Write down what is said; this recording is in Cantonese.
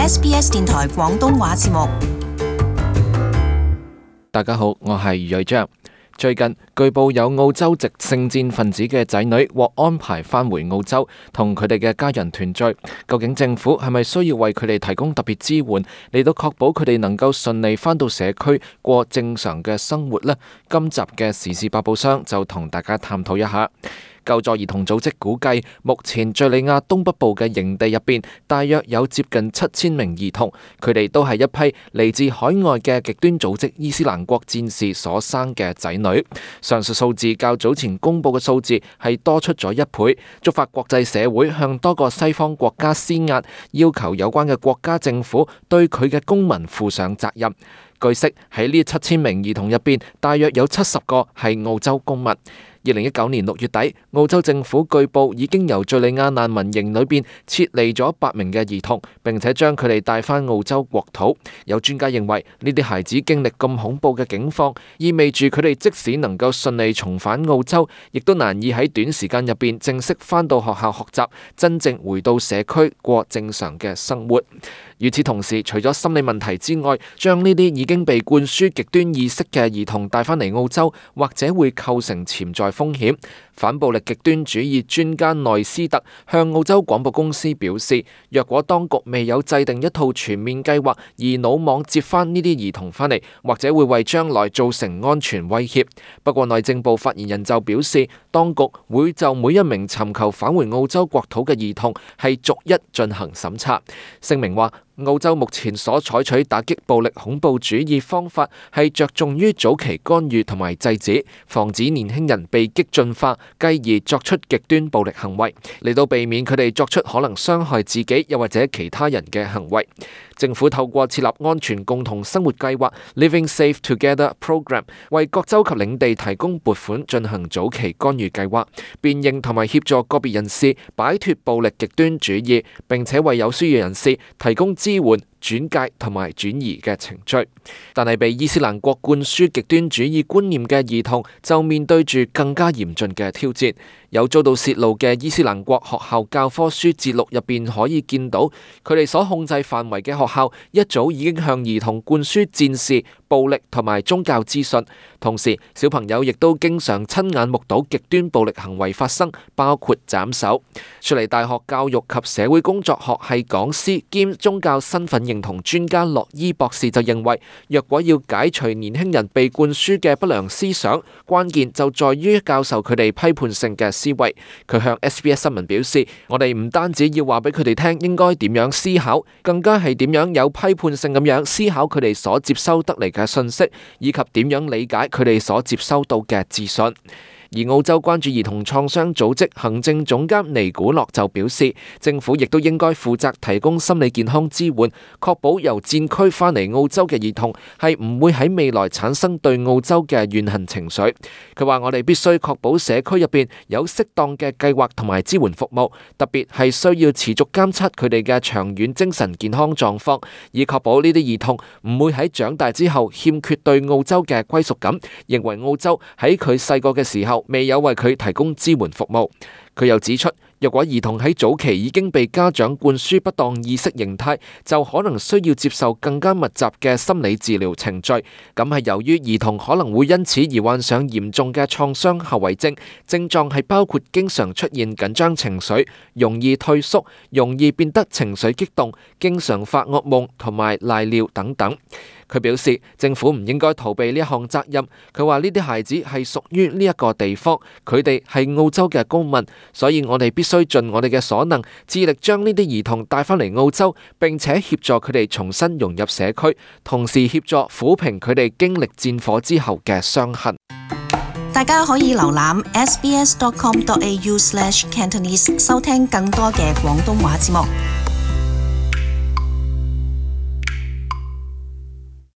SBS 電台廣東話節目。大家好，我係余瑞章。最近據報有澳洲籍聖戰分子嘅仔女獲安排返回澳洲，同佢哋嘅家人團聚。究竟政府係咪需要為佢哋提供特別支援，嚟到確保佢哋能夠順利返到社區過正常嘅生活呢？今集嘅時事百寶箱就同大家探討一下。救助兒童組織估計，目前敘利亞東北部嘅營地入邊，大約有接近7000名兒童，佢哋都係一批嚟自海外嘅極端組織伊斯蘭國戰士所生嘅仔女。上述數字較早前公布嘅數字係多出咗1倍，觸發國際社會向多個西方國家施壓，要求有關嘅國家政府對佢嘅公民負上責任。據悉，喺呢7000名兒童入邊，大約有70個係澳洲公民。2019年6月底，澳洲政府據報已經由敘利亞難民營裏邊撤離咗8名嘅兒童，並且將佢哋帶返澳洲國土。有專家認為，呢啲孩子經歷咁恐怖嘅境況，意味住佢哋即使能夠順利重返澳洲，亦都難以喺短時間入邊正式返到學校學習，真正回到社區過正常嘅生活。與此同時，除咗心理問題之外，將呢啲已經被灌輸極端意識嘅兒童帶返嚟澳洲，或者會構成潛在風險。反暴力極端主義專家內斯特向澳洲廣播公司表示，若果當局未有制定一套全面計劃，而魯莽接返呢啲兒童返嚟，或者會為將來造成安全威脅。不過內政部發言人就表示，當局會就每一名尋求返回澳洲國土嘅兒童係逐一進行審查。聲明話，澳洲目前所採取打擊暴力恐怖主義方法係着重於早期干預同埋制止，防止年輕人被激進化，繼而作出極端暴力行為，嚟到避免佢哋作出可能傷害自己又或者其他人嘅行為。政府透過設立安全共同生活計劃 Living Safe Together Program， 為各州及領地提供撥款進行早期干預計劃，辨認同埋協助個別人士擺脫暴力極端主義，並且為有需要人士提供支援、轉介同埋轉移嘅程序。但係被伊斯蘭國灌輸極端主義觀念嘅兒童就面對住更加嚴峻嘅挑戰。有遭到泄露嘅伊斯蘭國學校教科書節錄入邊可以見到，佢哋所控制範圍嘅學校一早已經向兒童灌輸戰士、暴力同埋宗教資訊。同時，小朋友亦都經常親眼目睹極端暴力行為發生，包括斬首。雪梨大學教育及社會工作學系講師兼宗教身份認同專家洛伊博士就認為，若果要解除年輕人被灌輸嘅不良思想，關鍵就在於教授佢哋批判性嘅思維。佢向 SBS 新聞表示，我哋唔單止要話俾佢哋聽應該點樣思考，更加係點樣有批判性咁樣思考佢哋所接收得嚟嘅信息，以及點樣理解佢哋所接收到嘅資訊。而澳洲關注兒童創傷組織行政總監尼古諾就表示，政府亦都應該負責提供心理健康支援，確保由戰區返嚟澳洲嘅兒童係唔會喺未來產生對澳洲嘅怨恨情緒。佢話：我哋必須確保社區入邊有適當嘅計劃同埋支援服務，特別係需要持續監測佢哋嘅長遠精神健康狀況，以確保呢啲兒童唔會喺長大之後欠缺對澳洲嘅歸屬感，認為澳洲喺佢細個嘅時候未有為佢提供支援服務。佢又指出，若果兒童喺早期已經被家長灌輸不當意識形態，就可能需要接受更加密集嘅心理治療程序。咁係由於兒童可能會因此而患上嚴重嘅創傷後遺症，症狀係包括經常出現緊張情緒、容易退縮、容易變得情緒激動、經常發噩夢同埋賴尿等等。佢表示，政府唔應該逃避呢一項責任。佢話呢啲孩子係屬於呢一個地方，佢哋係澳洲嘅公民，所以我哋必須盡我哋嘅所能，致力將呢啲兒童帶返嚟澳洲，並且協助佢哋重新融入社區，同時協助撫平佢哋經歷戰火之後嘅傷痕。大家可以瀏覽 sbs.com.au/Cantonese 收聽更多嘅廣東話節目。